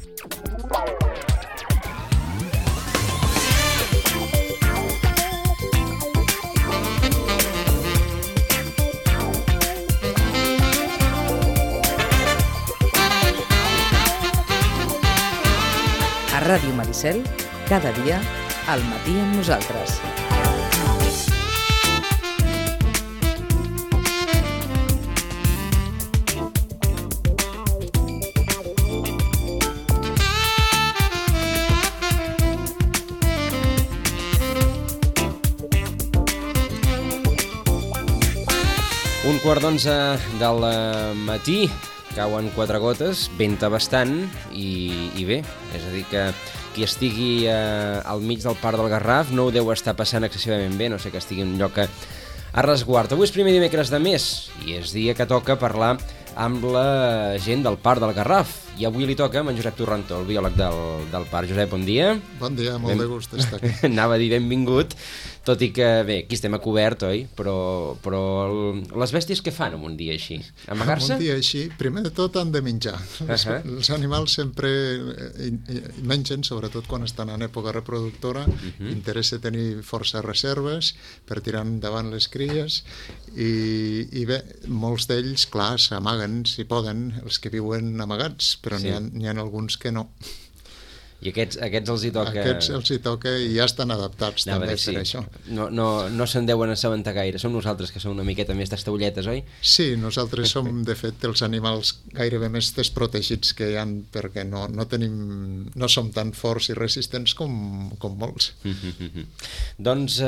A Ràdio Maricel, cada dia, al matí amb nosaltres. Un quart d'11 del matí, cauen 4 gotes, venta bastant i bé, és a dir que qui estigui al mig del Parc del Garraf no ho deu estar passant excessivament bé, no sé que estigui en un lloc a resguard. Avui és primer dimecres de mes i és dia que toca parlar amb la gent del Parc del Garraf. I avui li toca amb en Josep Torrentó, el biòleg del parc. Josep, bon dia. Bon dia, molt de gust d'estar aquí. Anava a dir benvingut, tot i que, bé, aquí estem a cobert, oi? Però les bèsties què fan en un dia així? Amagar-se? En un dia així, primer de tot han de menjar. Els animals sempre mengen, sobretot quan estan en època reproductora. Interessa tenir força reserves per tirar endavant les cries i bé, molts d'ells, clar, s'amaguen si poden, els que viuen amagats, però n'hi ha alguns que no. I aquests els hi toca... Aquests els hi toca i ja estan adaptats també per això. No se'n deuen assabentar gaire. Som nosaltres que som una miqueta més tastaulletes, oi? Sí, nosaltres som, de fet, els animals gairebé més desprotegits que hi ha, perquè no som tan forts i resistents com molts. Doncs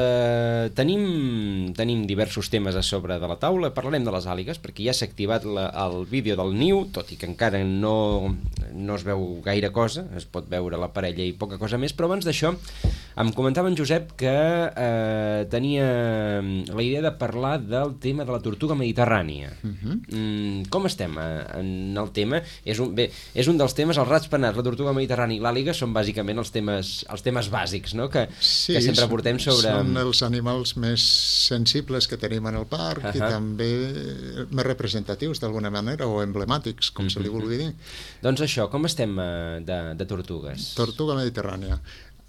tenim diversos temes a sobre de la taula. Parlarem de les àligues, perquè ja s'ha activat el vídeo del niu, tot i que encara no es veu gaire cosa, es pot veure la parella i poca cosa més, però abans d'això em comentava en Josep que tenia la idea de parlar del tema de la tortuga mediterrània. Com estem en el tema? És un dels temes, els rats-penats, la tortuga mediterrània i l'àliga són bàsicament els temes bàsics, no? que sempre portem sobre... Són els animals més sensibles que tenim en el parc i també més representatius d'alguna manera o emblemàtics, com se li vulgui dir. Doncs això, com estem de tortugues? Tortuga mediterrània.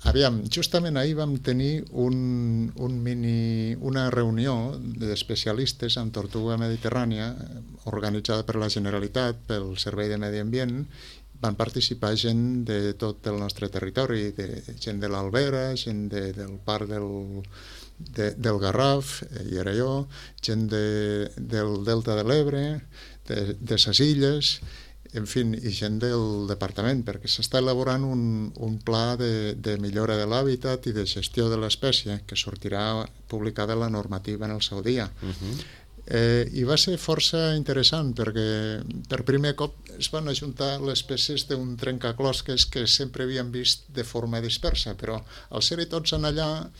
Aviam, justament ahir vam tenir una reunió d'especialistes en tortuga mediterrània organitzada per la Generalitat, pel Servei de Medi Ambient. Van participar gent de tot el nostre territori, gent de l'Albera, gent del Parc del Garraf, i era jo, gent del Delta de l'Ebre, de ses illes, en fi, i gent del departament, perquè s'està elaborant un pla de millora de l'hàbitat i de gestió de l'espècie, que sortirà publicada la normativa en el seu dia. I va ser força interessant, perquè per primer cop es van ajuntar les peces d'un trencaclosques que sempre havíem vist de forma dispersa, però al ser-hi tots en allà,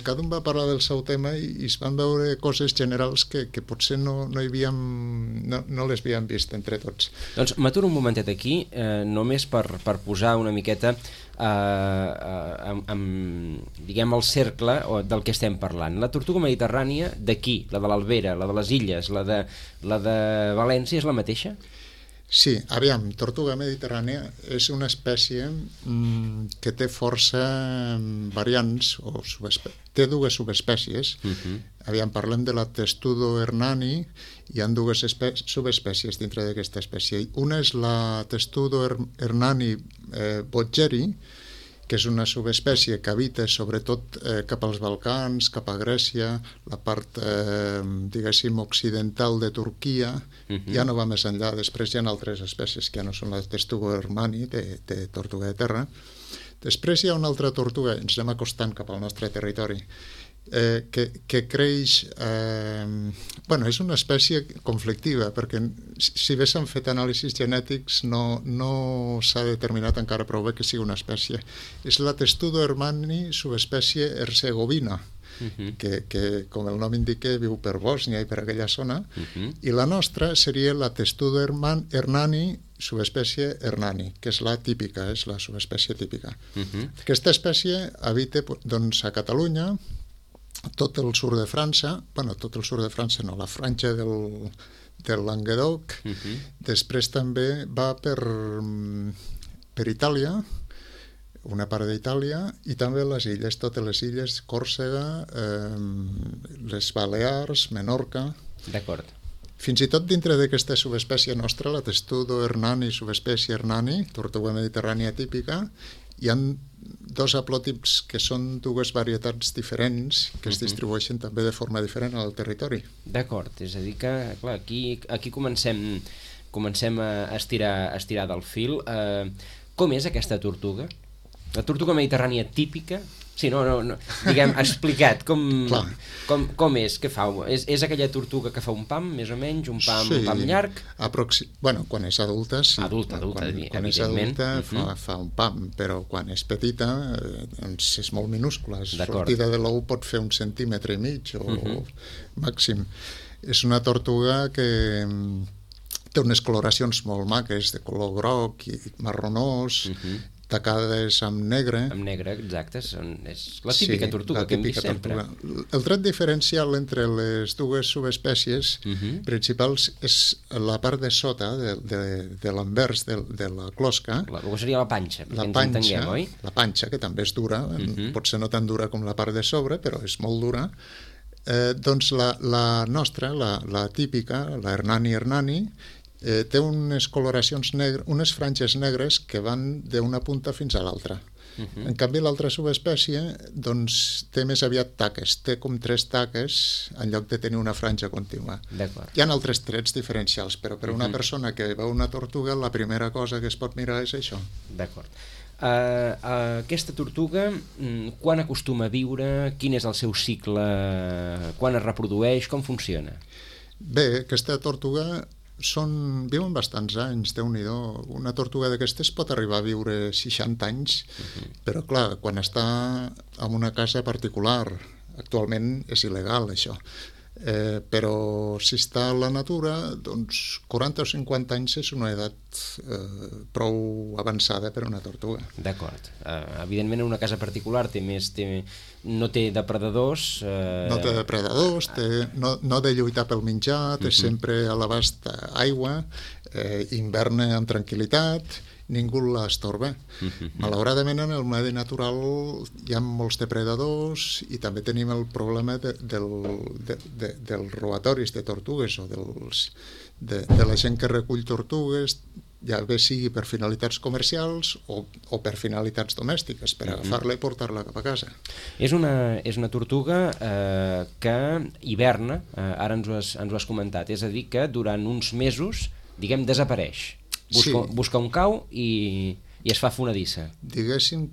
cada un va parlar del seu tema i es van veure coses generals que potser no les havíem vist entre tots. Doncs m'aturo un momentet aquí, només per posar una miqueta diguem el cercle del que estem parlant. La tortuga mediterrània d'aquí, la de l'Albera, la de les Illes, la de València, és la mateixa? Sí, aviam, tortuga mediterrània és una espècie que té força variants, té dues subespècies. Aviam, parlem de la Testudo hernani, hi ha dues subespècies dintre d'aquesta espècie. Una és la Testudo hernani bodgeri, que és una subespècie que habita sobretot cap als Balcans, cap a Grècia, la part, diguéssim, occidental de Turquia, ja no va més enllà. Després hi ha altres espècies que ja no són la Testudo hernani, de tortuga de terra. Després hi ha una altra tortuga, ens anem acostant cap al nostre territori, que creix... és una espècie conflictiva, perquè si bé s'han fet anàlisis genètics no s'ha determinat encara prou bé que sigui una espècie. És la Testudo hernani subespècie herzegovina, que com el nom indica viu per Bòsnia i per aquella zona, i la nostra seria la Testudo hernani subespècie hernani, que és la típica, és la subespècie típica. Aquesta espècie habita a Catalunya, tot el sud de França, tot el sud de França no, la franja del Languedoc, després també va per per Itàlia, una part d'Itàlia, i també les illes, totes les illes, Còrsega, les Balears, Menorca. D'acord. Fins i tot dintre d'aquesta subespècie nostra, la Testudo hernani, subespècie hernani, tortuga mediterrània típica, hi ha dos haplòtips que són dues varietats diferents que es distribueixen també de forma diferent al territori. D'acord, és a dir que clar, aquí comencem a estirar del fil. Com és aquesta tortuga? La tortuga mediterrània típica? Sí, no, diguem, explicat, com és, què fa? És aquella tortuga que fa un pam, més o menys, un pam llarg? Bueno, quan és adulta, sí. Adulta, quan és adulta fa un pam, però quan és petita doncs és molt minúscula. La sortida de l'ou pot fer 1,5 centímetres o màxim. És una tortuga que té unes coloracions molt maques, de color groc i marronós, tacades amb negre. Amb negre, exacte. És la típica tortuga que hem vist sempre. El tret diferencial entre les dues subespècies principals és la part de sota de l'anvers de la closca. Això seria la panxa, perquè ens entenguem, oi? La panxa, que també és dura, potser no tan dura com la part de sobre, però és molt dura. Doncs la nostra, la típica, la hernani, té unes coloracions negres, unes franges negres que van d'una punta fins a l'altra. En canvi, l'altra subespècie doncs, té més aviat taques, té com 3 taques en lloc de tenir una franja contínua. Hi ha altres trets diferencials, però per una persona que veu una tortuga, la primera cosa que es pot mirar és això. D'acord. Aquesta tortuga, quan acostuma a viure? Quin és el seu cicle? Quan es reprodueix? Com funciona? Bé, aquesta tortuga viuen bastants anys, Déu-n'hi-do. Una tortuga d'aquestes pot arribar a viure 60 anys, però clar, quan està en una casa particular, actualment és il·legal això, però si està a la natura, doncs 40 o 50 anys és una edat prou avançada per a una tortuga. D'acord. Evidentment en una casa particular no té depredadors. No té depredadors, no de lluitar pel menjar, té sempre a l'abast aigua, hiverna amb tranquil·litat, ningú l'estorba. Malauradament en el medi natural hi ha molts depredadors i també tenim el problema dels robatoris de tortugues o de la gent que recull tortugues, ja bé sigui per finalitats comercials o per finalitats domèstiques, per agafar-la i portar-la cap a casa. És una tortuga que hiverna, ara ens ho has comentat, és a dir que durant uns mesos, diguem, desapareix. Busca un cau i es fa fonedissa. Diguéssim,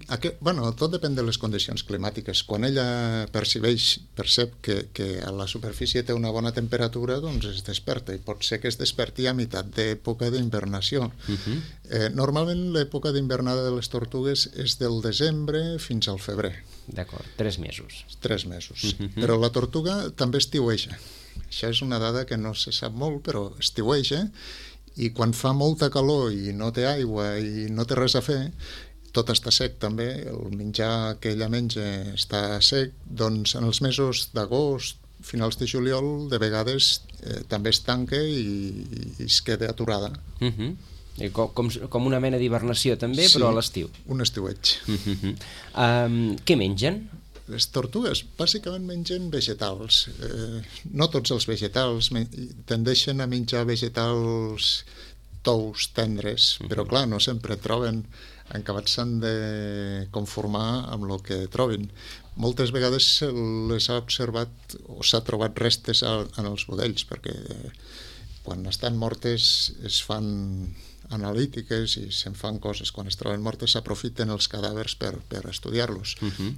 tot depèn de les condicions climàtiques. Quan ella percep que a la superfície té una bona temperatura, doncs es desperta, i pot ser que es desperti a meitat d'època d'invernació. Normalment l'època d'invernada de les tortugues és del desembre fins al febrer. D'acord, 3 mesos. 3 mesos. Però la tortuga també estiueja. Això és una dada que no se sap molt, però estiueja, i quan fa molta calor i no té aigua i no té res a fer, tot està sec també, el menjar que ella menja està sec, doncs en els mesos d'agost, finals de juliol, de vegades també es tanca i es queda aturada. Com una mena d'hibernació també, però a l'estiu. Un estiueig. Què mengen? Les tortugues bàsicament mengen vegetals. No tots els vegetals, tendeixen a menjar vegetals tous, tendres, però clar, no sempre troben, acabats s'han de conformar amb el que trobin. Moltes vegades les ha observat o s'ha trobat restes en els budells, perquè quan estan mortes es fan analítiques i se'n fan coses. Quan es troben mortes s'aprofiten els cadàvers per estudiar-los.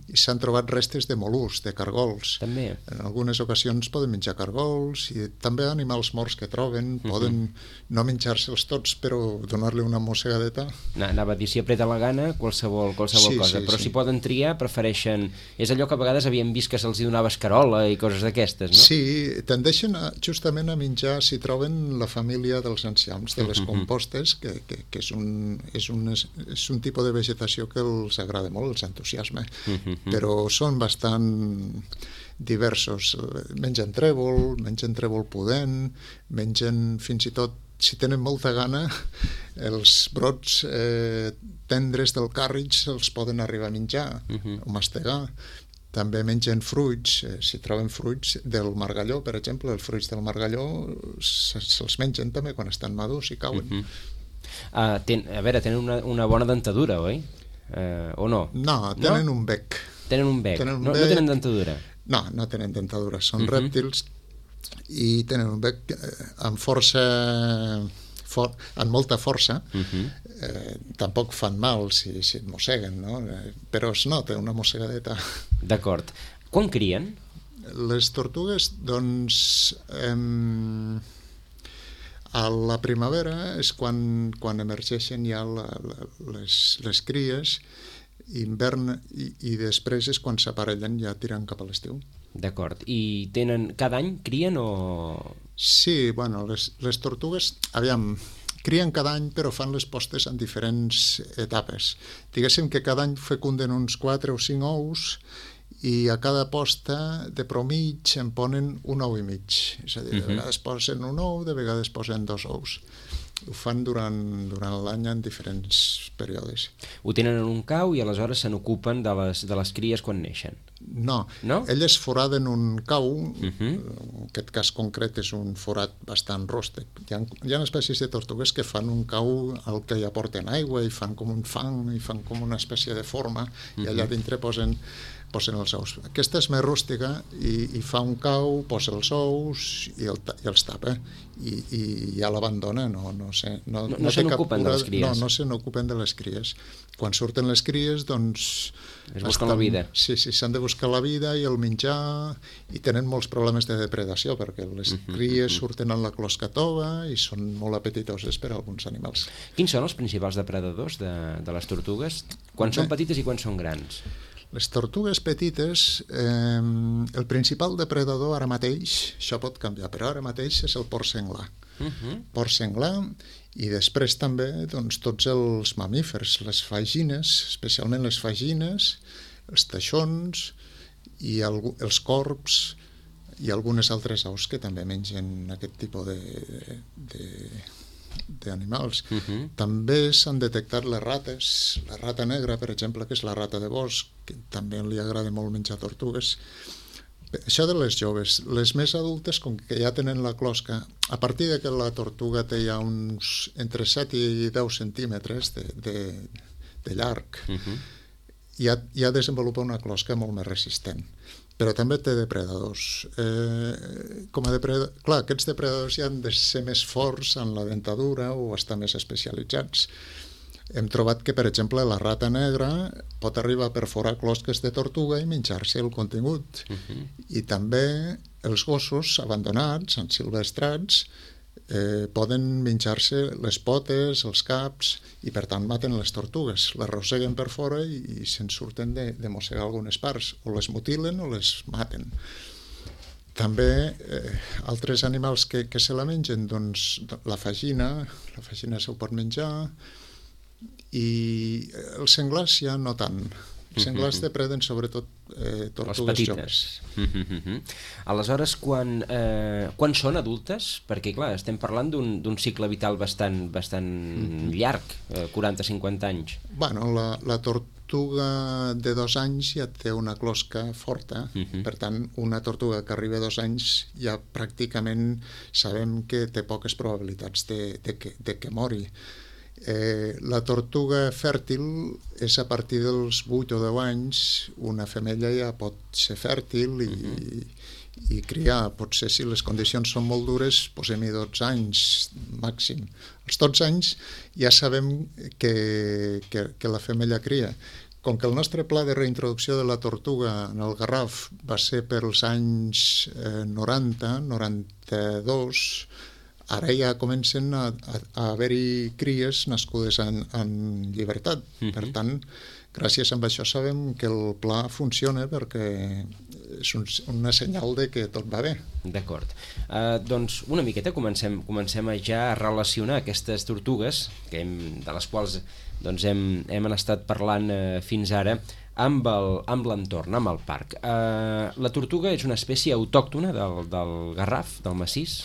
I s'han trobat restes de mol·luscs, de cargols. També. En algunes ocasions poden menjar cargols i també animals morts que troben, poden no menjar-se'ls tots, però donar-li una mossegadeta. Anava a dir, si apreta la gana, qualsevol cosa, però si poden triar, prefereixen... És allò que a vegades havíem vist que se'ls donava escarola i coses d'aquestes, no? Sí, tendeixen justament a menjar, si troben, la família dels enciams, de les compostes, que és un tipus de vegetació que els agrada molt, els entusiasma, però són bastant diversos. Mengen trèvol pudent, mengen fins i tot si tenen molta gana, els brots tendres del càrrig els poden arribar a menjar o mastegar. També mengen fruits, si troben fruits del margalló, per exemple, els fruits del margalló se'ls mengen també quan estan madurs i cauen. A veure, tenen una bona dentadura, oi? O no? No, tenen un bec. Tenen un bec. No tenen dentadura? No, no tenen dentadura, són rèptils i tenen un bec amb força... amb molta força, tampoc fan mal si et mosseguen, no? Però es nota una mossegadeta. D'acord. Quan crien? Les tortugues, doncs, a la primavera és quan emergeixen ja les cries, hivern i després és quan s'aparellen ja tirant cap a l'estiu. D'acord. I cada any crien o...? Sí, bueno, les tortugues, crien cada any però fan les postes en diferents etapes. Diguéssim que cada any fecunden uns 4 o 5 ous i a cada posta de promig en ponen un ou i mig. És a dir, de vegades posen un ou, de vegades posen 2 ous. Ho fan durant l'any en diferents períodes. Ho tenen en un cau i aleshores se n'ocupen de les cries quan neixen? No? Elles foraden un cau, en aquest cas concret és un forat bastant rústec. Hi ha espècies de tortugues que fan un cau al que hi aporten aigua i fan com un fang i fan com una espècie de forma i allà dintre posen els ous. Aquesta és més rústica i fa un cau, posa els ous i els tapa i ja l'abandona. No se n'ocupen de les cries? No se n'ocupen de les cries. Quan surten les cries, doncs... Es busquen la vida. Sí, s'han de buscar la vida i el menjar i tenen molts problemes de depredació perquè les cries surten en la closca tova i són molt apetitoses per a alguns animals. Quins són els principals depredadors de les tortugues? Quan són petites i quan són grans? Les tortugues petites, el principal depredador ara mateix, això pot canviar, però ara mateix és el porc senglar. Porc senglar i després també doncs, tots els mamífers, les fagines, especialment les fagines, els teixons i els corbs i algunes altres aus que també mengen aquest tipus d'animals. També s'han detectat les rates, la rata negra, per exemple, que és la rata de bosc, que també li agrada molt menjar tortugues. Això de les joves, les més adultes, com que ja tenen la closca, a partir de que la tortuga té ja uns entre 7 i 10 centímetres de llarg, ja desenvolupa una closca molt més resistent. Però també té depredadors. Clar, aquests depredadors ja han de ser més forts en la dentadura o estar més especialitzats. Hem trobat que, per exemple, la rata negra pot arribar a perforar closques de tortuga i menjar-se el contingut. I també els gossos abandonats, ensilvestrats, poden menjar-se les potes, els caps, i per tant maten les tortugues. Les arrosseguen per fora i se'n surten de mossegar algunes parts. O les mutilen o les maten. També altres animals que se la mengen, doncs la fagina se'l pot menjar, i els senglars ja no tant. Els senglars depreden sobretot tortugues joves. Aleshores, quan són adultes? Perquè, clar, estem parlant d'un cicle vital bastant llarg, 40-50 anys. Bueno, la tortuga de 2 anys ja té una closca forta, per tant, una tortuga que arriba a 2 anys ja pràcticament sabem que té poques probabilitats de que mori. La tortuga fèrtil és a partir dels 8 o 10 anys, una femella ja pot ser fèrtil i criar. Potser si les condicions són molt dures, posem-hi 12 anys màxim. Als 12 anys ja sabem que la femella cria. Com que el nostre pla de reintroducció de la tortuga en el Garraf va ser per als anys 90, 92, ara ja comencen a haver-hi cries nascudes en llibertat. Per tant, gràcies a això sabem que el pla funciona perquè és una senyal de que tot va bé. D'acord. Doncs una miqueta comencem ja a relacionar aquestes tortugues, de les quals hem estat parlant fins ara, amb l'entorn, amb el parc. La tortuga és una espècie autòctona del Garraf, del massís?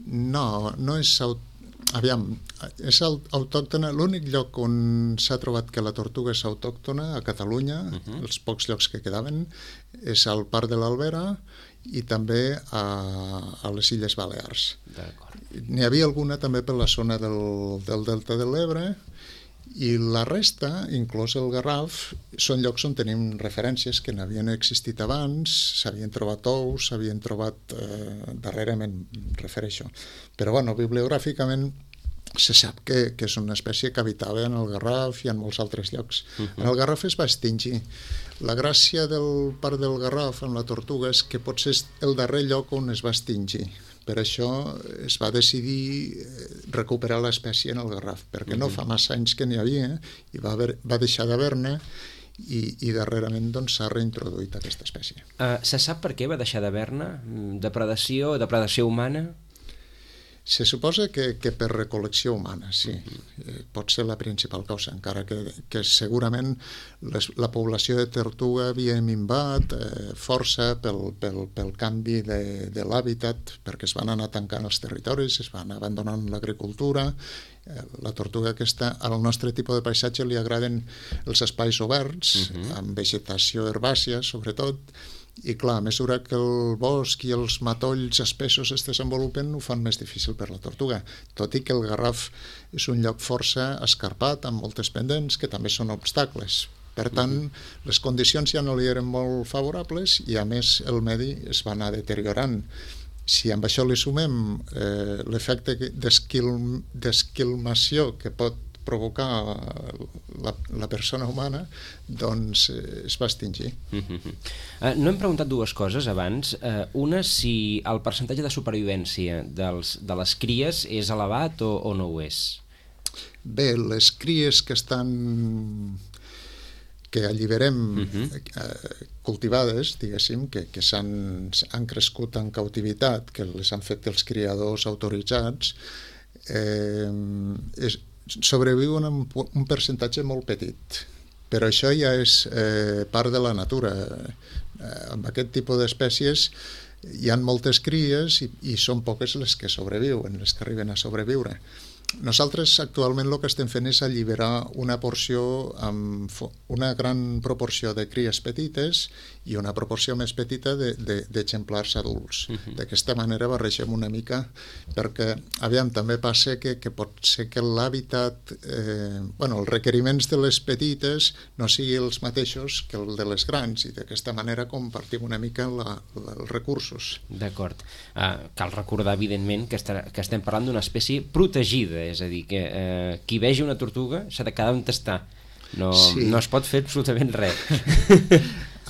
No és Aviam, és autòctona. L'únic lloc on s'ha trobat que la tortuga és autòctona, a Catalunya, els pocs llocs que quedaven, és al Parc de l'Albera i també a les Illes Balears. N'hi havia alguna també per la zona del Delta de l'Ebre, i la resta, inclòs el Garraf, són llocs on tenim referències que n'havien existit abans, s'havien trobat ous, s'havien trobat darrerament, refereixo. Però, bueno, bibliogràficament se sap que és una espècie que habitava en el Garraf i en molts altres llocs. En el Garraf es va extingir. La gràcia del Parc del Garraf amb la tortuga és que potser és el darrer lloc on es va extingir. Per això es va decidir recuperar l'espècie en el Garraf, perquè no fa massa anys que n'hi havia i va deixar d'haver-ne i darrerament s'ha reintroduït aquesta espècie. Se sap per què va deixar d'haver-ne? Depredació humana? Se suposa que per recol·lecció humana, sí. Pot ser la principal causa, encara que segurament la població de tortuga havia minvat força pel canvi de l'hàbitat, perquè es van anar tancant els territoris, es van abandonant l'agricultura. La tortuga aquesta, al nostre tipus de paisatge li agraden els espais oberts, amb vegetació herbàcia, sobretot, i clar, a mesura que el bosc i els matolls espessos es desenvolupen ho fan més difícil per la tortuga, tot i que el Garraf és un lloc força escarpat amb moltes pendents que també són obstacles. Per tant, les condicions ja no li eren molt favorables i a més el medi es va anar deteriorant. Si amb això li sumem l'efecte d'esquilmació que pot provocar la persona humana, doncs es va extingir. No hem preguntat dues coses abans. Una, si el percentatge de supervivència de les cries és elevat o no ho és? Bé, les cries que alliberem cultivades, diguéssim, que han crescut en cautivitat, que les han fet els criadors autoritzats, sobreviuen amb un percentatge molt petit, però això ja és part de la natura. Amb aquest tipus d'espècies hi ha moltes cries i són poques les que sobreviuen, les que arriben a sobreviure. Nosaltres actualment el que estem fent és alliberar una porció amb una gran proporció de cries petites i una proporció més petita d'exemplars adults. D'aquesta manera barregem una mica, perquè aviam, també passa que pot ser que l'hàbitat, els requeriments de les petites no siguin els mateixos que el de les grans, i d'aquesta manera compartim una mica els recursos. D'acord. Cal recordar, evidentment, que estem parlant d'una espècie protegida, és a dir, que qui vegi una tortuga s'ha de quedar on està. No es pot fer absolutament res.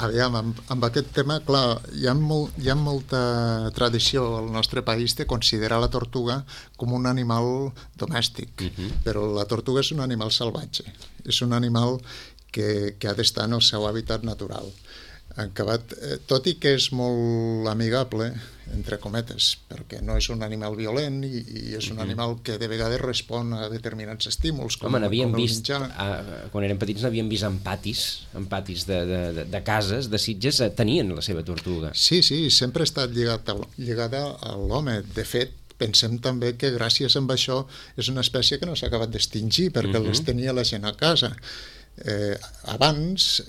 Aviam, amb aquest tema, clar, hi ha molta tradició al nostre país de considerar la tortuga com un animal domèstic, però la tortuga és un animal salvatge, és un animal que ha d'estar en el seu hàbitat natural. Tot i que és molt amigable, entre cometes, perquè no és un animal violent i és un animal que de vegades respon a determinats estímuls. N'havíem vist, quan érem petits n'havíem vist en patis de cases, de Sitges, tenien la seva tortuga. Sí, sempre ha estat lligada a l'home. De fet, pensem també que gràcies a això és una espècie que no s'ha acabat d'extingir, perquè les tenia la gent a casa. Abans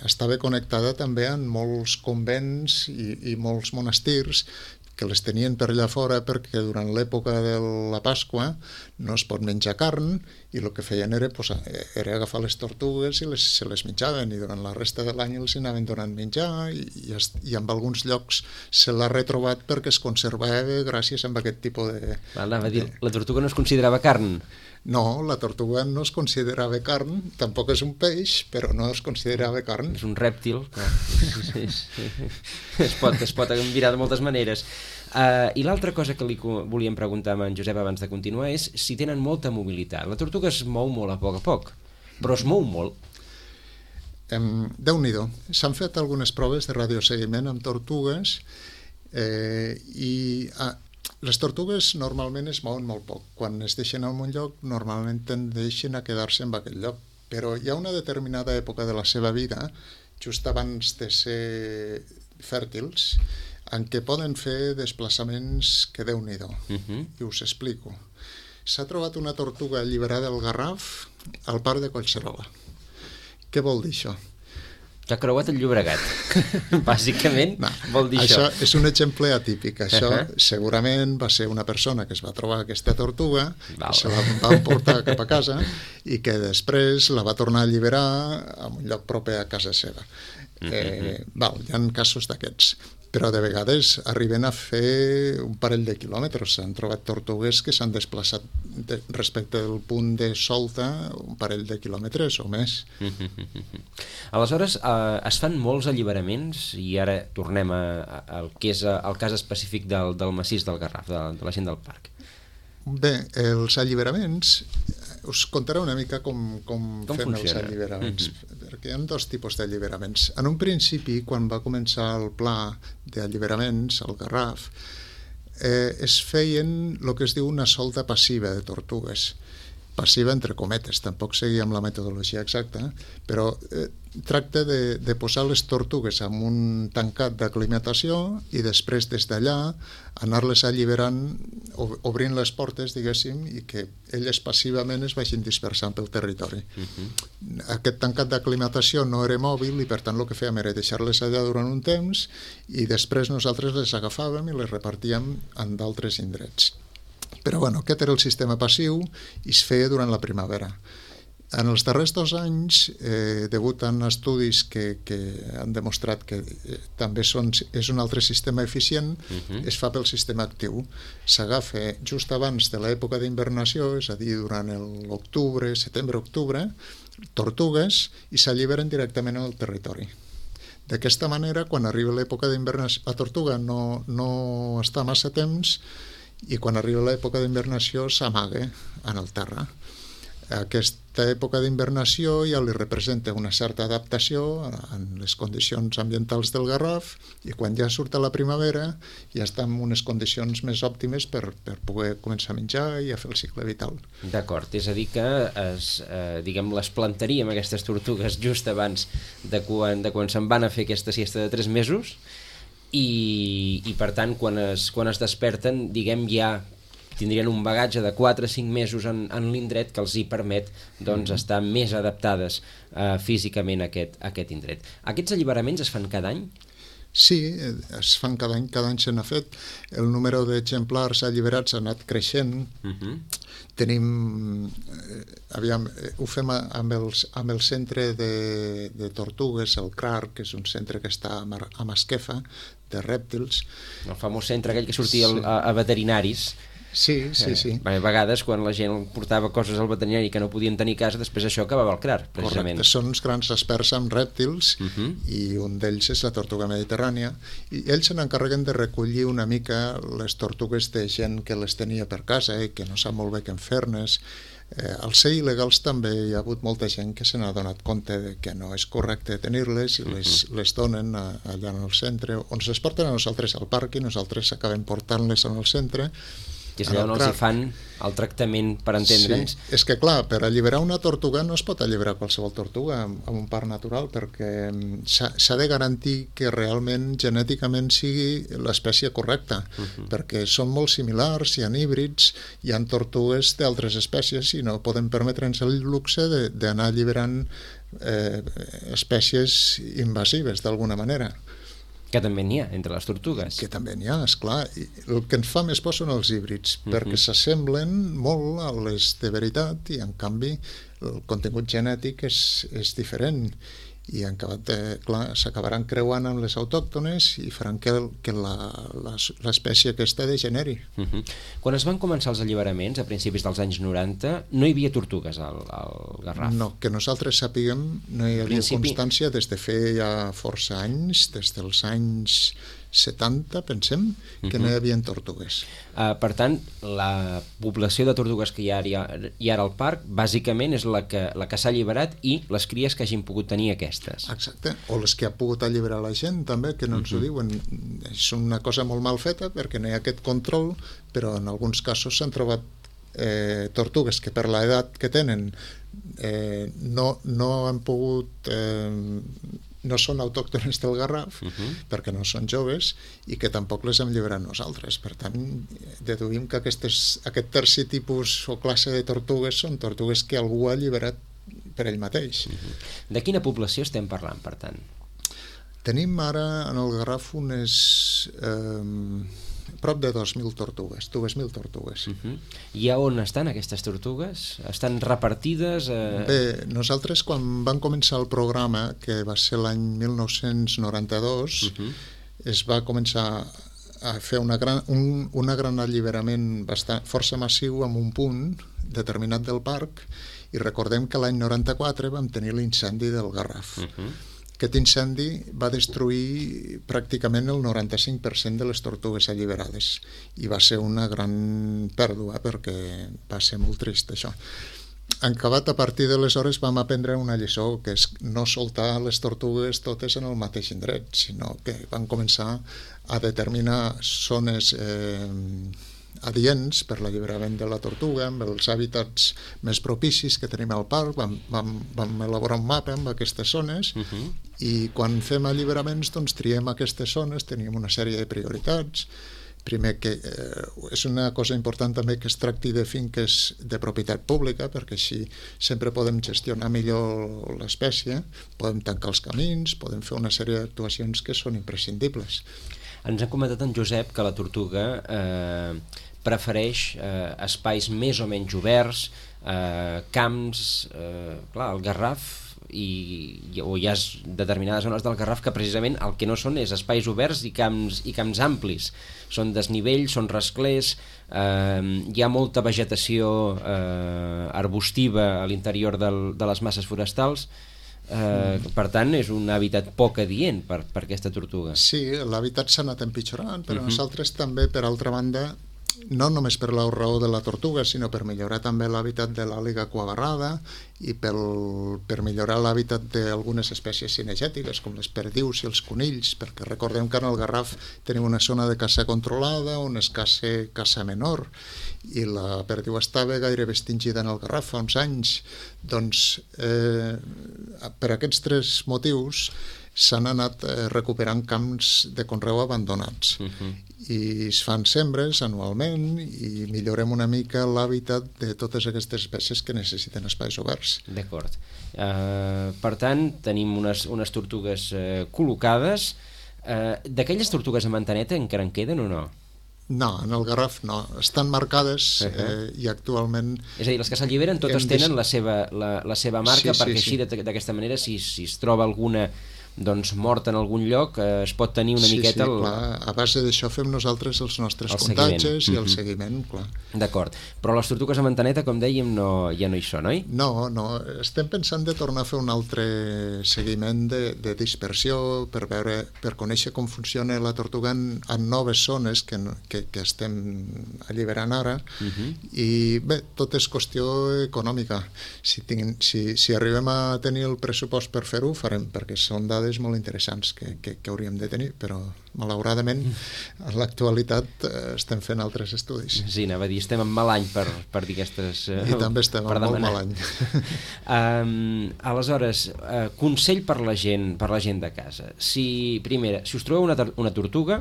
estava connectada també amb molts convents i molts monestirs que les tenien per allà fora, perquè durant l'època de la Pasqua no es pot menjar carn, i el que feien era agafar les tortugues i se les menjaven, i durant la resta de l'any els anaven donant menjar, i en alguns llocs se l'ha retrobat perquè es conservava gràcies a aquest tipus de... Anava a dir, la tortuga no es considerava carn? No, la tortuga no es considerava carn, tampoc és un peix, però no es considerava carn. És un rèptil, es pot mirar de moltes maneres. I l'altra cosa que li volíem preguntar a en Josep abans de continuar és si tenen molta mobilitat. La tortuga es mou molt a poc, però es mou molt. Déu-n'hi-do. S'han fet algunes proves de radioseguiment amb tortugues i... Les tortugues normalment es mouen molt poc. Quan es deixen en un lloc, normalment tendeixen a quedar-se en aquell lloc. Però hi ha una determinada època de la seva vida, just abans de ser fèrtils, en què poden fer desplaçaments que Déu-n'hi-do. I us explico. s'ha trobat una tortuga alliberada al Garraf al parc de Collserola. Què vol dir això? Que ha creuat el Llobregat. Bàsicament vol dir això. Això és un exemple atípic. Això segurament va ser una persona que es va trobar aquesta tortuga, que se la va portar cap a casa i que després la va tornar a alliberar a un lloc proper a casa seva. Hi ha casos d'aquests, però de vegades arriben a fer un parell de quilòmetres. S'han trobat tortugues que s'han desplaçat respecte del punt de solta un parell de quilòmetres o més. Aleshores, es fan molts alliberaments i ara tornem al que és el cas específic del massís del Garraf, de la gent del parc. Bé, els alliberaments, us contaré una mica com fem els alliberaments, perquè hi ha dos tipus d'alliberaments. En un principi, quan va començar el pla d'alliberaments al Garraf, es feien el que es diu una solta passiva de tortugues. Passiva entre cometes, tampoc seguia amb la metodologia exacta, però tracta de posar les tortugues en un tancat d'aclimatació i després des d'allà anar-les alliberant, obrint les portes, diguéssim, i que elles passivament es vagin dispersant pel territori. Aquest tancat d'aclimatació no era mòbil i per tant el que fèiem era deixar-les allà durant un temps i després nosaltres les agafàvem i les repartíem en d'altres indrets. Però bueno, aquest era el sistema passiu i es feia durant la primavera. En els darrers 2 anys, degut a estudis que han demostrat que també és un altre sistema eficient, es fa pel sistema actiu. S'agafa just abans de l'època d'invernació, és a dir, durant l'octubre, setembre-octubre, tortugues i s'alliberen directament al territori. D'aquesta manera, quan arriba l'època d'invernació, la tortuga no està massa temps i quan arriba l'època d'invernació s'amaga en el terra. Aquesta època d'invernació ja li representa una certa adaptació en les condicions ambientals del Garraf i quan ja surt a la primavera ja està en unes condicions més òptimes per poder començar a menjar i a fer el cicle vital. D'acord, és a dir que les plantaríem aquestes tortugues just abans de quan se'n van a fer aquesta siesta de 3 mesos i per tant quan es desperten ja tindrien un bagatge de 4 o 5 mesos en l'indret que els hi permet estar més adaptades físicament a aquest indret. Aquests alliberaments es fan cada any? Sí, es fan cada any se n'ha fet. El número d'exemplars alliberats ha anat creixent. Tenim, ho fem amb el centre de tortugues, el CRAR, que és un centre que està a Masquefa, de rèptils. El famós centre aquell que sortia a veterinaris. Sí. A vegades quan la gent portava coses al veterinari que no podien tenir a casa, després això acabava al CRAR, precisament. Correcte, són uns grans experts en rèptils i un d'ells és la tortuga mediterrània i ells se n'encarreguen de recollir una mica les tortugues de gent que les tenia per casa i que no sap molt bé què en fer-ne. Als ser il·legals també hi ha hagut molta gent que se n'ha donat compte que no és correcte tenir-les i les donen allà en el centre, on es porten a nosaltres al parc i nosaltres acabem portant-les en el centre. Que és allà on els hi fan el tractament per entendre'ns. Sí, és que clar, per alliberar una tortuga no es pot alliberar qualsevol tortuga en un parc natural perquè s'ha de garantir que realment genèticament sigui l'espècie correcta, perquè són molt similars, hi ha híbrids, hi ha tortugues d'altres espècies i no podem permetre'ns el luxe d'anar alliberant espècies invasives d'alguna manera. Que també n'hi ha entre les tortugues. Que també n'hi ha, esclar. El que ens fa més por són els híbrids, perquè s'assemblen molt a les de veritat i en canvi el contingut genètic és diferent i s'acabaran creuant amb les autòctones i faran que l'espècie aquesta degeneri. Quan es van començar els alliberaments a principis dels anys 90 no hi havia tortugues al Garraf? No, que nosaltres sapiguem no hi havia constància des de ja força anys, des dels anys 70, pensem, que no hi havia tortugues. Per tant, la població de tortugues que hi ha ara al parc, bàsicament és la que s'ha alliberat i les cries que hagin pogut tenir aquestes. Exacte, o les que ha pogut alliberar la gent, també, que no ens ho diuen. És una cosa molt mal feta perquè no hi ha aquest control, però en alguns casos s'han trobat tortugues que per l'edat que tenen no han pogut no són autòctones del Garraf, perquè no són joves, i que tampoc les hem alliberat nosaltres. Per tant, deduïm que aquest tercer tipus o classe de tortugues són tortugues que algú ha alliberat per ell mateix. De quina població estem parlant, per tant? Tenim ara en el Garraf unes prop de 2.000 tortugues, 2.000 tortugues. I a on estan aquestes tortugues? Estan repartides? Bé, nosaltres quan vam començar el programa, que va ser l'any 1992, es va començar a fer un gran alliberament força massiu en un punt determinat del parc, i recordem que l'any 94 vam tenir l'incendi del Garraf. Aquest incendi va destruir pràcticament el 95% de les tortugues alliberades, i va ser una gran pèrdua perquè va ser molt trist això. Acabat, a partir d'aleshores vam aprendre una lliçó, que és no soltar les tortugues totes en el mateix indret, sinó que van començar a determinar zones adients per l'alliberament de la tortuga, amb els hàbitats més propicis que tenim al parc. Vam elaborar un mapa amb aquestes zones, i quan fem alliberaments doncs triem aquestes zones, tenim una sèrie de prioritats. Primer, que és una cosa important també que es tracti de finques de propietat pública, perquè així sempre podem gestionar millor l'espècie, podem tancar els camins, podem fer una sèrie d'actuacions que són imprescindibles. Ens ha comentat en Josep que la tortuga prefereix espais més o menys oberts, camps, clar, el Garraf, o hi ha determinades zones del Garraf que precisament el que no són és espais oberts i camps amplis, són desnivells, són rasclers, hi ha molta vegetació arbustiva a l'interior de les masses forestals. Per tant, és un hàbitat poc adient per aquesta tortuga. Sí, l'hàbitat s'ha anat empitjorant, però nosaltres també, per altra banda, no només per la raó de la tortuga, sinó per millorar també l'hàbitat de l'àliga cuabarrada i per millorar l'hàbitat d'algunes espècies cinegètiques, com les perdius i els conills, perquè recordem que en el Garraf tenim una zona de caça controlada on es caça menor, i la perdiu estava gairebé extingida en el Garraf fa uns anys. Doncs per aquests tres motius s'han anat recuperant camps de conreu abandonats, i es fan sembres anualment i millorem una mica l'hàbitat de totes aquestes espècies que necessiten espais oberts. D'acord. Per tant, tenim unes tortugues col·locades. D'aquelles tortugues a mantaneta encara en queden o no? No, en el Garraf no. Estan marcades i actualment... És a dir, les que s'alliberen totes tenen la seva marca, perquè així d'aquesta manera, si es troba alguna doncs morta en algun lloc, es pot tenir una miqueta... Sí, clar. A base d'això fem nosaltres els nostres comptatges i el seguiment, clar. D'acord. Però les tortugues a mantaneta, com dèiem, ja no hi són, oi? No. Estem pensant de tornar a fer un altre seguiment de dispersió per conèixer com funciona la tortuga en noves zones que estem alliberant ara, i bé, tot és qüestió econòmica. Si arribem a tenir el pressupost per fer-ho, farem, perquè són dades molt interessants que hauríem de tenir, però malauradament en l'actualitat estem fent altres estudis. Sí, anava a dir, estem en mal any per dir aquestes... I també estem en molt mal any. Aleshores, consell per la gent de casa. Si us trobeu una tortuga,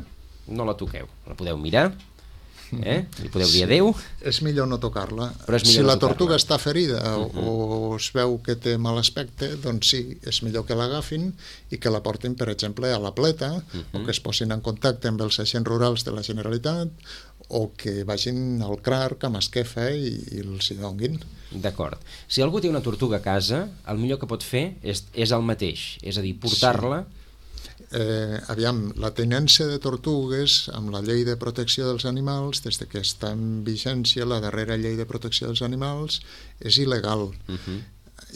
no la toqueu, la podeu mirar, li podeu dir adeu. És millor no tocar-la. Si la tortuga està ferida o es veu que té mal aspecte, doncs sí, és millor que l'agafin i que la portin, per exemple, a la pleta, o que es posin en contacte amb els agents rurals de la Generalitat, o que vagin al CRARC amb Esquefa i els hi donguin. D'acord. Si algú té una tortuga a casa, el millor que pot fer és el mateix, és a dir, portar-la... Aviam, la tenència de tortugues amb la llei de protecció dels animals, des que està en vigència la darrera llei de protecció dels animals, és il·legal.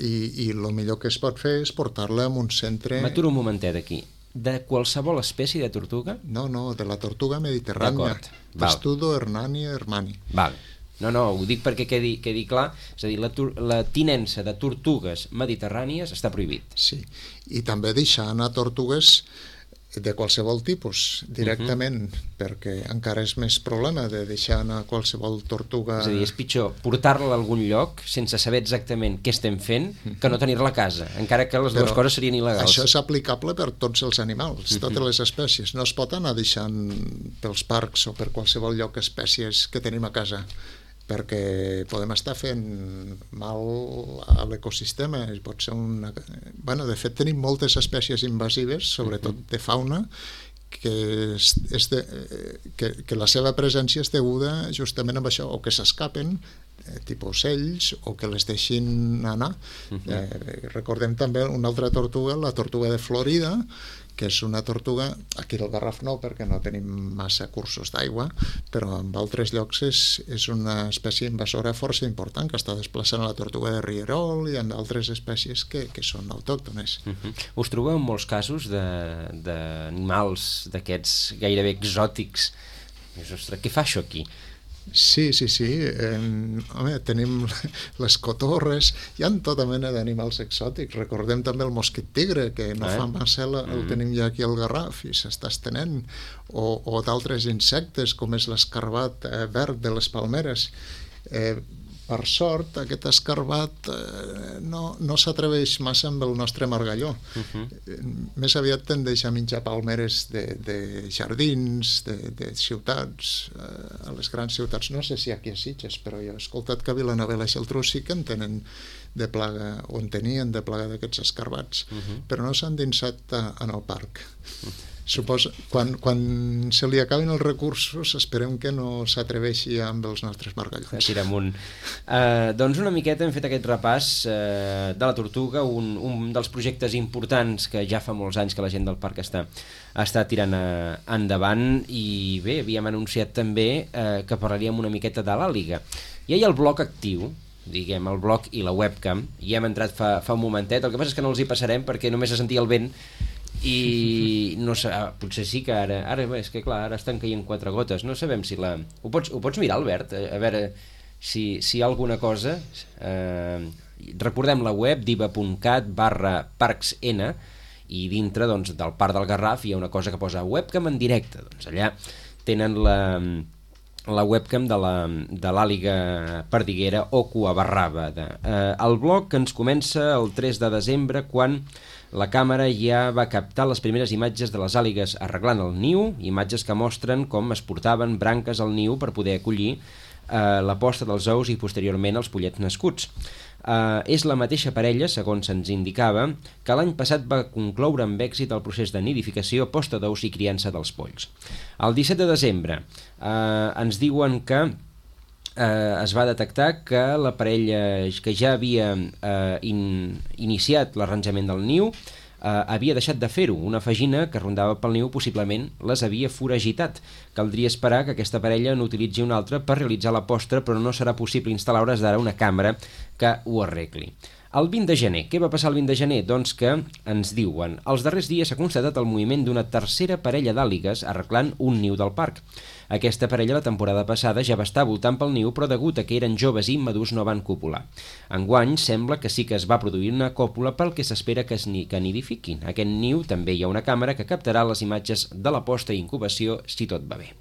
I el millor que es pot fer és portar-la a un centre... M'aturo un momentet aquí. De qualsevol espècie de tortuga? No, de la tortuga mediterrània. Testudo hernania hermani. Val. No, ho dic perquè quedi clar, és a dir, la tinença de tortugues mediterrànies està prohibit. Sí, i també deixar anar tortugues de qualsevol tipus, directament, perquè encara és més problema de deixar anar qualsevol tortuga... És a dir, és pitjor portar-la a algun lloc sense saber exactament què estem fent que no tenir-la a casa, encara que les dues coses serien il·legals. Això és aplicable per tots els animals, totes les espècies. No es pot anar deixant pels parcs o per qualsevol lloc espècies que tenim a casa, perquè podem estar fent mal a l'ecosistema. Pot ser una... Bueno, de fet, tenim moltes espècies invasives, sobretot de fauna, que la seva presència és deguda justament amb això, o que s'escapen, tipus ocells, o que les deixin anar. Recordem també una altra tortuga, la tortuga de Florida, que és una tortuga, aquí al Garraf no, perquè no tenim massa cursos d'aigua, però en altres llocs és una espècie invasora força important, que està desplaçant la tortuga de Rierol i en altres espècies que són autòctones. Us trobeu en molts casos d'animals d'aquests gairebé exòtics? Ostres, què fa això aquí? Sí. Home, tenim les cotorres, hi ha tota mena d'animals exòtics. Recordem també el mosquit tigre, que no fa massa el tenim ja aquí al Garraf i s'està estenent, o d'altres insectes com és l'escarbat verd de les palmeres. Per sort, aquest escarbat no s'atreveix massa amb el nostre margalló. Més aviat tendeix a menjar palmeres de jardins, de ciutats, a les grans ciutats. No sé si aquí a Sitges, però jo he escoltat que a Vilanova i la Geltrú sí que en tenen de plaga, o en tenien de plaga d'aquests escarbats, però no s'han dinsat en el parc. Suposo, quan se li acabin els recursos, esperem que no s'atreveixi amb els nostres margallons. Tirar amunt. Doncs una miqueta hem fet aquest repàs de la tortuga, un dels projectes importants que ja fa molts anys que la gent del parc està tirant endavant, i bé, havíem anunciat també que parlaríem una miqueta de l'àliga. Ja hi ha el bloc actiu, diguem, el blog i la webcam, i hem entrat fa un momentet. El que passa és que no els hi passarem perquè només se sentia el vent i no sé, potser sí que ara és que clar, ara estan caient 4 gotes, no sabem si la... Ho pots mirar, Albert? A veure si hi ha alguna cosa. Recordem la web diva.cat/parcsn, i dintre doncs, del Parc del Garraf hi ha una cosa que posa webcam en directe. Doncs allà tenen la webcam de l'àliga perdiguera o cuabarraba. El blog ens comença el 3 de desembre, quan la càmera ja va captar les primeres imatges de les àligues arreglant el niu, imatges que mostren com es portaven branques al niu per poder acollir la posta dels ous i posteriorment els pollets nascuts. És la mateixa parella, segons se'ns indicava, que l'any passat va concloure amb èxit el procés de nidificació, posta d'ous i criança dels polls. El 17 de desembre ens diuen que es va detectar que la parella que ja havia iniciat l'arranjament del niu havia deixat de fer-ho. Una fagina que rondava pel niu possiblement les havia foragitat. Caldria esperar que aquesta parella n'utilitzi una altra per realitzar la posta, però no serà possible instal·lar a hores d'ara una càmera que ho arregli. El 20 de gener. Què va passar el 20 de gener? Doncs que ens diuen: els darrers dies s'ha constatat el moviment d'una tercera parella d'àligues arreglant un niu del parc. Aquesta parella la temporada passada ja va estar voltant pel niu, però degut a que eren joves i immadurs no van copular. Enguany sembla que sí que es va produir una còpula, pel que s'espera que nidifiquin. Aquest niu també hi ha una càmera que captarà les imatges de la posta i incubació si tot va bé.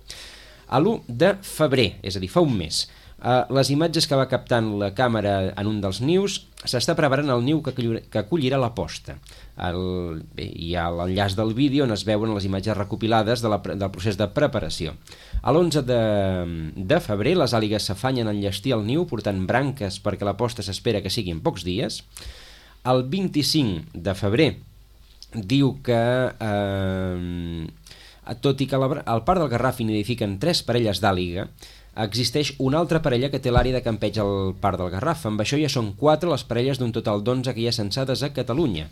A l'1 de febrer, és a dir, fa un mes, les imatges que va captant la càmera en un dels nius, s'està preparant el niu que acollirà la posta. Hi ha l'enllaç del vídeo on es veuen les imatges recopilades del procés de preparació. A l'11 de febrer les àligues s'afanyen a enllestir el niu portant branques perquè la posta s'espera que sigui en pocs dies. El 25 de febrer diu que tot i que al Parc del Garraf nidifiquen 3 parelles d'àliga, existeix una altra parella que té l'àrea de campeig al Parc del Garraf. Amb això ja són 4 les parelles d'un total d'11 que hi ha censades a Catalunya.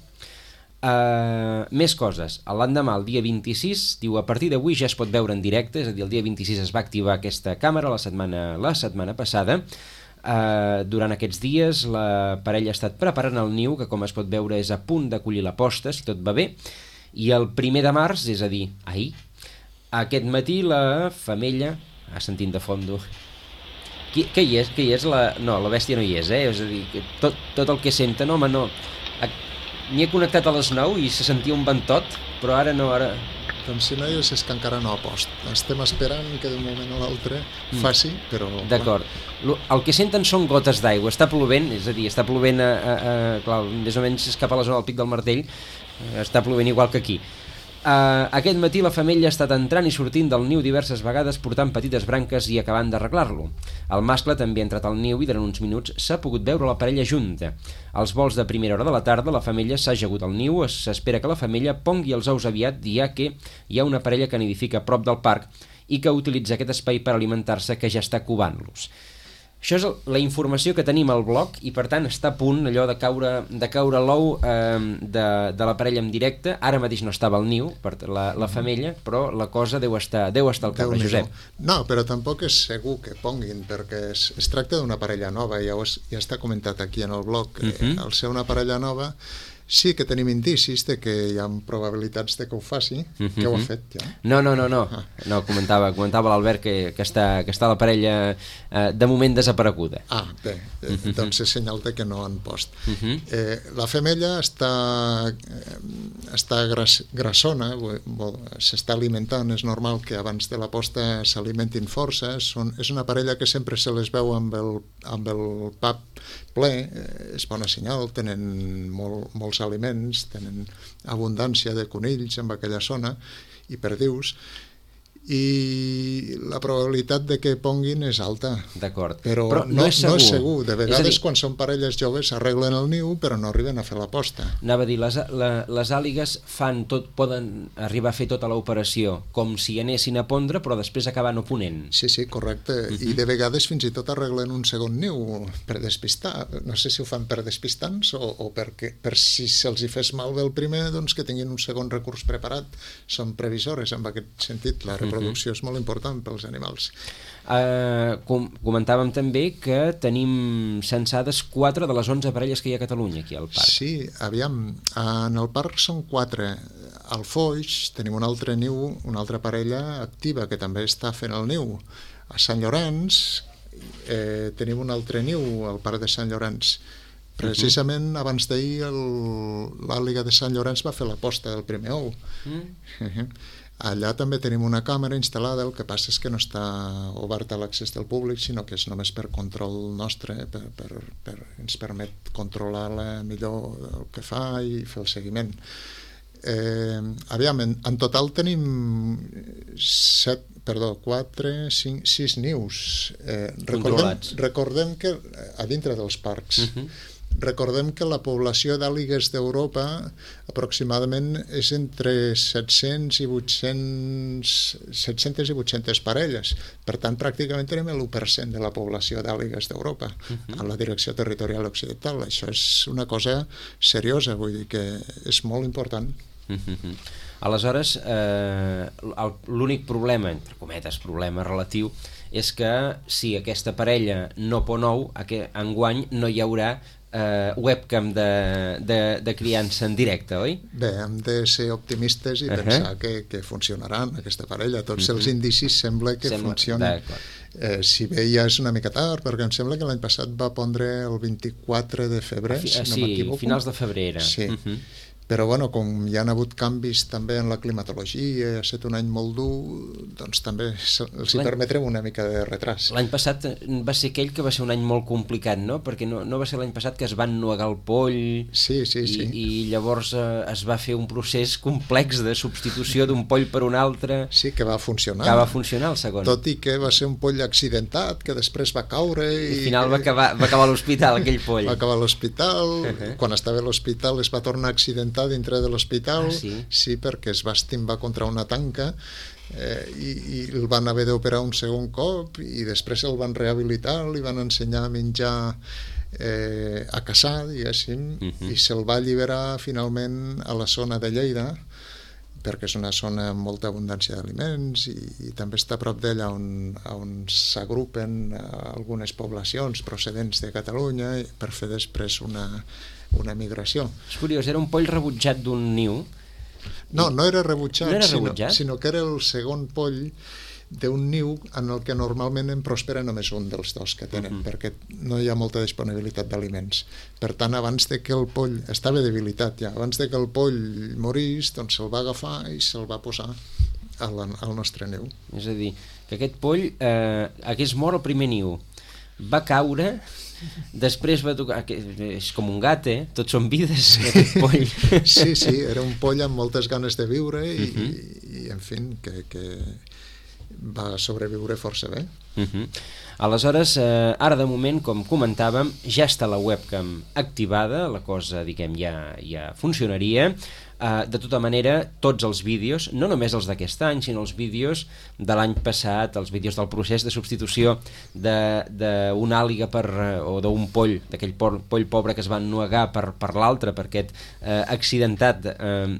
Més coses. L'endemà, el dia 26, diu: a partir d'avui ja es pot veure en directe, és a dir, el dia 26 es va activar aquesta càmera la setmana passada. Durant aquests dies la parella ha estat preparant el niu, que com es pot veure és a punt d'acollir la posta, si tot va bé, i el 1 de març, és a dir, ahir, aquest matí la femella... sentint de fondo... Què hi és? No, la bèstia no hi és, És a dir, tot el que senten, home, no... M'hi he connectat a les 9 i se sentia un ventot, però ara no, ara... Com si no hi és que encara no ha post. Estem esperant que d'un moment a l'altre faci, però... D'acord. El que senten són gotes d'aigua. Està plovent, és a dir, està plovent clar, més o menys és cap a la zona del Pic del Martell, està plovent igual que aquí. Aquest matí la femella ha estat entrant i sortint del niu diverses vegades portant petites branques i acabant d'arreglar-lo. El mascle també ha entrat al niu i durant uns minuts s'ha pogut veure la parella junta. Als vols de primera hora de la tarda la femella s'ha ajagut al niu, s'espera que la femella pongui els ous aviat, ja que hi ha una parella que nidifica a prop del parc i que utilitza aquest espai per alimentar-se, que ja està covant-los. Això és la informació que tenim al blog i per tant està a punt allò de caure l'ou de la parella en directe. Ara mateix no estava al niu per la femella, però la cosa deu estar al cap, Josep. No, però tampoc és segur que ponguin, perquè es tracta d'una parella nova, ja està comentat aquí en el blog. Al ser una parella nova sí que tenim indicis de que hi ha probabilitats de que ho faci, que ho ha fet ja. No, comentava l'Albert que està la parella de moment desapareguda. Bé, doncs és senyal de que no han post. La femella està grassona, s'està alimentant, és normal que abans de la posta s'alimentin força, és una parella que sempre se les veu amb el pap ple, és bona senyal, tenen molts aliments, tenen abundància de conills en aquella zona i perdius, i la probabilitat de que ponguin és alta. D'acord. Però no és segur. De vegades, quan són parelles joves, arreglen el niu, però no arriben a fer la posta. Anava a dir, les àligues poden arribar a fer tota l'operació com si anessin a pondre, però després acabar no ponent. Sí, correcte. I de vegades fins i tot arreglen un segon niu per despistar. No sé si ho fan per despistants o per si se'ls hi fes malbé el primer, doncs que tinguin un segon recurs preparat. Són previsores en aquest sentit. La reproducció és molt important pels animals. Comentàvem també que tenim censades 4 de les 11 parelles que hi ha a Catalunya aquí al parc. Sí, aviam, en el parc són 4. Al Foix tenim un altre niu, una altra parella activa que també està fent el niu. A Sant Llorenç tenim un altre niu al parc de Sant Llorenç. Precisament abans d'ahir l'àliga de Sant Llorenç va fer la posta del primer ou. Allà també tenim una càmera instal·lada, el que passa és que no està oberta a l'accés del públic, sinó que és només per control nostre, ens permet controlar millor el que fa i fer el seguiment. Aviam, en total tenim 6 nius controlats. Recordem que a dintre dels parcs recordem que la població d'àligues d'Europa aproximadament és entre 700 i 800 parelles. Per tant, pràcticament tenim l'1% de la població d'àligues d'Europa a la direcció territorial occidental. Això és una cosa seriosa, vull dir que és molt important. Aleshores, l'únic problema, entre cometes, problema relatiu, és que si aquesta parella no pon ou, enguany no hi haurà webcam de criança en directe, oi? Bé, hem de ser optimistes i pensar que funcionaran aquesta parella. Tots els indicis sembla que funcionen. Si bé ja és una mica tard, perquè em sembla que l'any passat va pondre el 24 de febrer, si no m'equivoco. Sí, finals de febrer era. Sí. Però bueno, com hi ha hagut canvis també en la climatologia, ha estat un any molt dur, doncs també els hi permetrem una mica de retras. L'any passat va ser aquell que va ser un any molt complicat, no? Perquè no va ser l'any passat que es van nuegar el poll i llavors es va fer un procés complex de substitució d'un poll per un altre. Sí, que va funcionar. Que va funcionar el segon. Tot i que va ser un poll accidentat, que després va caure i al final va acabar a l'hospital aquell poll. Va acabar a l'hospital, quan estava a l'hospital es va tornar accidentat dintre de l'hospital, sí, perquè es va estimbar contra una tanca i el van haver d'operar un segon cop i després el van rehabilitar, li van ensenyar a menjar a caçar, diguéssim, i se'l va alliberar finalment a la zona de Lleida, perquè és una zona amb molta abundància d'aliments i també està a prop d'ella on s'agrupen algunes poblacions procedents de Catalunya per fer després una migració. És curiós, era un poll rebutjat d'un niu? No era rebutjat, sinó que era el segon poll d'un niu en el que normalment en prospera només un dels dos que tenen, perquè no hi ha molta disponibilitat d'aliments. Per tant, abans de que el poll estava debilitat ja, abans de que el poll morís, doncs se'l va agafar i se'l va posar al nostre niu. És a dir, que aquest poll hagués mort el primer niu, va caure, després va tocar... És com un gat, tots són vides, aquest poll. Sí, era un poll amb moltes ganes de viure i en fi, que va sobreviure força bé. Aleshores, ara de moment, com comentàvem, ja està la webcam activada, la cosa, diguem, ja funcionaria. De tota manera, tots els vídeos, no només els d'aquest any, sinó els vídeos de l'any passat, els vídeos del procés de substitució d'una àliga o d'un poll, d'aquell poll pobre que es va ennuegar per l'altre, per aquest accidentat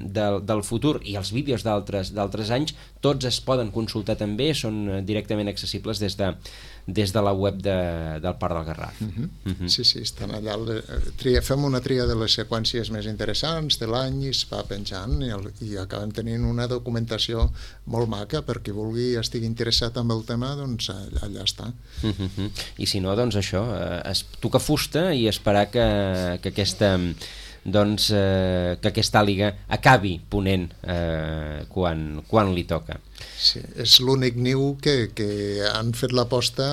del futur, i els vídeos d'altres anys, tots es poden consultar també, són directament accessibles des de la web del Parc del Garraf. Sí, estan allà. Fem una tria de les seqüències més interessants de l'any i es va penjant i acabem tenint una documentació molt maca per qui vulgui i estigui interessat en el tema, doncs allà està. I si no, doncs això, tocar fusta i esperar que aquesta àliga acabi ponent quan li toca. Sí, és l'únic niu que han fet l'aposta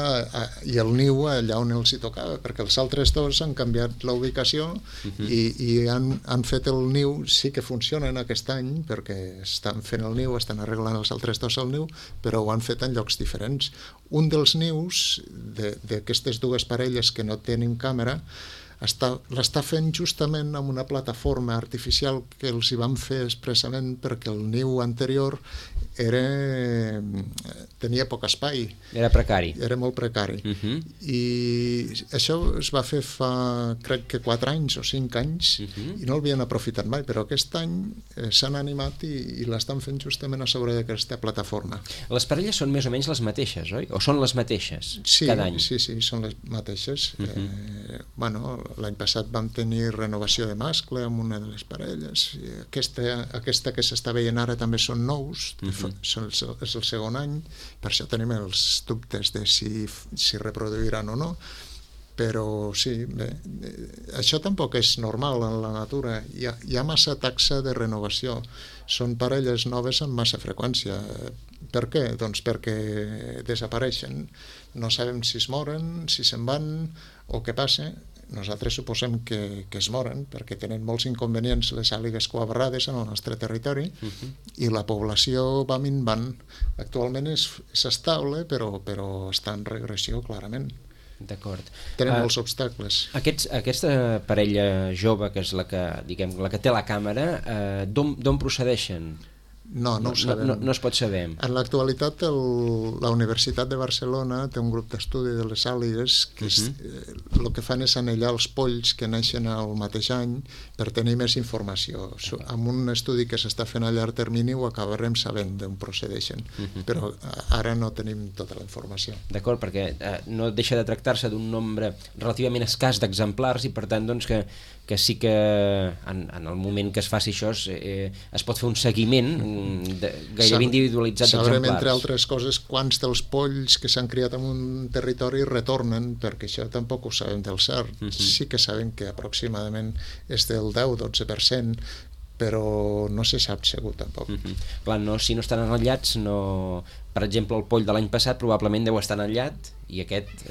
i el niu allà on els hi tocava, perquè els altres dos han canviat la ubicació i han fet el niu, sí que funcionen aquest any perquè estan fent el niu, estan arreglant els altres dos el niu, però ho han fet en llocs diferents. Un dels nius d'aquestes dues parelles que no tenen càmera l'està fent justament amb una plataforma artificial que els hi van fer expressament perquè el niu anterior tenia poc espai. Era precari. Era molt precari. I això es va fer fa, crec que 4 anys o 5 anys, i no l'havien aprofitat mai, però aquest any s'han animat i l'estan fent justament a sobre d'aquesta plataforma. Les parelles són més o menys les mateixes, oi? O són les mateixes cada any? Sí, són les mateixes. L'any passat vam tenir renovació de mascle amb una de les parelles. Aquesta que s'està veient ara també són nous, és el segon any, per això tenim els dubtes de si reproduiran o no, però sí, bé, això tampoc és normal en la natura. Hi ha massa taxa de renovació, són parelles noves amb massa freqüència. Per què? Doncs perquè desapareixen, no sabem si es moren, si se'n van o què passa. Nosaltres suposem que es moren perquè tenen molts inconvenients les àligues coabarrades en el nostre territori i la població va minvant. Actualment és estable, però està en regressió clarament. D'acord. Tenen molts obstacles. Aquesta parella jove, que és la que té la càmera, d'on procedeixen? No ho sabem. No es pot saber. En l'actualitat la Universitat de Barcelona té un grup d'estudi de les àligues que el que fan és anellar els polls que neixen al mateix any per tenir més informació. Amb un estudi que s'està fent a llarg termini ho acabarem sabent d'on procedeixen, però ara no tenim tota la informació. D'acord, perquè no deixa de tractar-se d'un nombre relativament escàs d'exemplars i per tant doncs que sí que en el moment que es faci això es pot fer un seguiment gairebé individualitzat d'exemplars. Sabrem, entre altres coses, quants dels polls que s'han criat en un territori retornen, perquè això tampoc ho sabem del cert. Sí que sabem que aproximadament és del 10-12%, però no se sap segur tampoc. Clar, si no estan enllats, per exemple, el poll de l'any passat probablement deu estar enllat i aquest,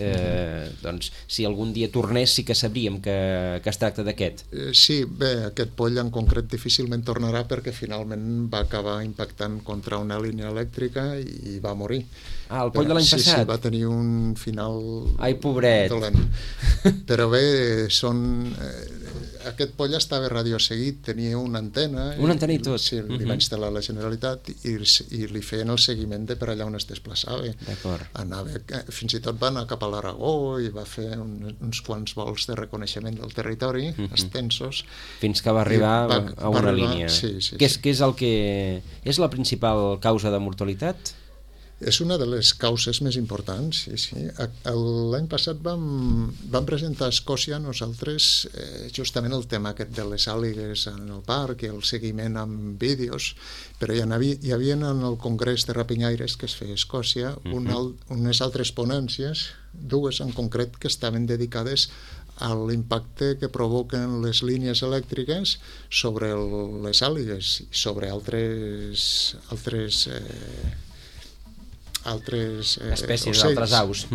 doncs, si algun dia tornés sí que sabríem que es tracta d'aquest. Sí, bé, aquest poll en concret difícilment tornarà perquè finalment va acabar impactant contra una línia elèctrica i va morir. El poll de l'any passat? Sí, va tenir un final dolent. Però bé, aquest poll estava radioseguit, tenia una antena. Una antena i tot? Sí, li va instal·lar la Generalitat i li feien el seguiment de per allà on es desplaçava. D'acord. Fins i tot va anar cap a l'Aragó i va fer uns quants vols de reconeixement del territori, extensos. Fins que va arribar a una línia. Sí. Què és el que és la principal causa de mortalitat? És una de les causes més importants, sí. L'any passat vam presentar a Escòcia nosaltres justament el tema aquest de les àligues en el parc i el seguiment amb vídeos, però hi havia en el Congrés de Rapinyaires que es feia a Escòcia unes altres ponències, dues en concret, que estaven dedicades a l'impacte que provoquen les línies elèctriques sobre les àligues i sobre altres espècies, ocells, d'altres aus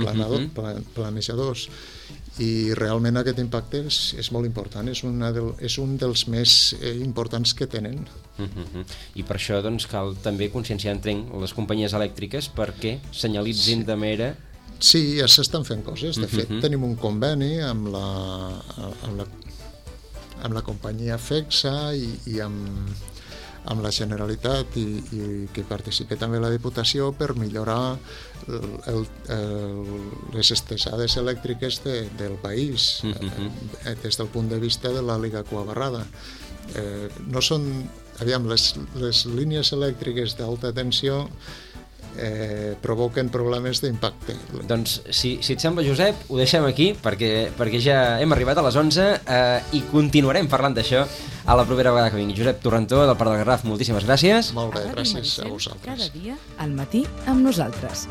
planejadors, i realment aquest impacte és molt important, és un dels més importants que tenen. I per això doncs, cal també conscienciar, entenc, les companyies elèctriques perquè senyalitzin de manera... Sí, ja s'estan fent coses. De fet, tenim un conveni amb la companyia FEXA i amb la Generalitat i que participi també la Diputació per millorar les estesades elèctriques del país des del punt de vista de l'àliga cuabarrada. No són... Aviam, les línies elèctriques d'alta tensió provoquen problemes d'impacte. Doncs, si et sembla, Josep, ho deixem aquí, perquè ja hem arribat a les 11 i continuarem parlant d'això a la propera vegada que vingui. Josep Torrentó, del Parc del Garraf, moltíssimes gràcies. Molt bé, gràcies a vosaltres. Cada dia, al matí, amb nosaltres.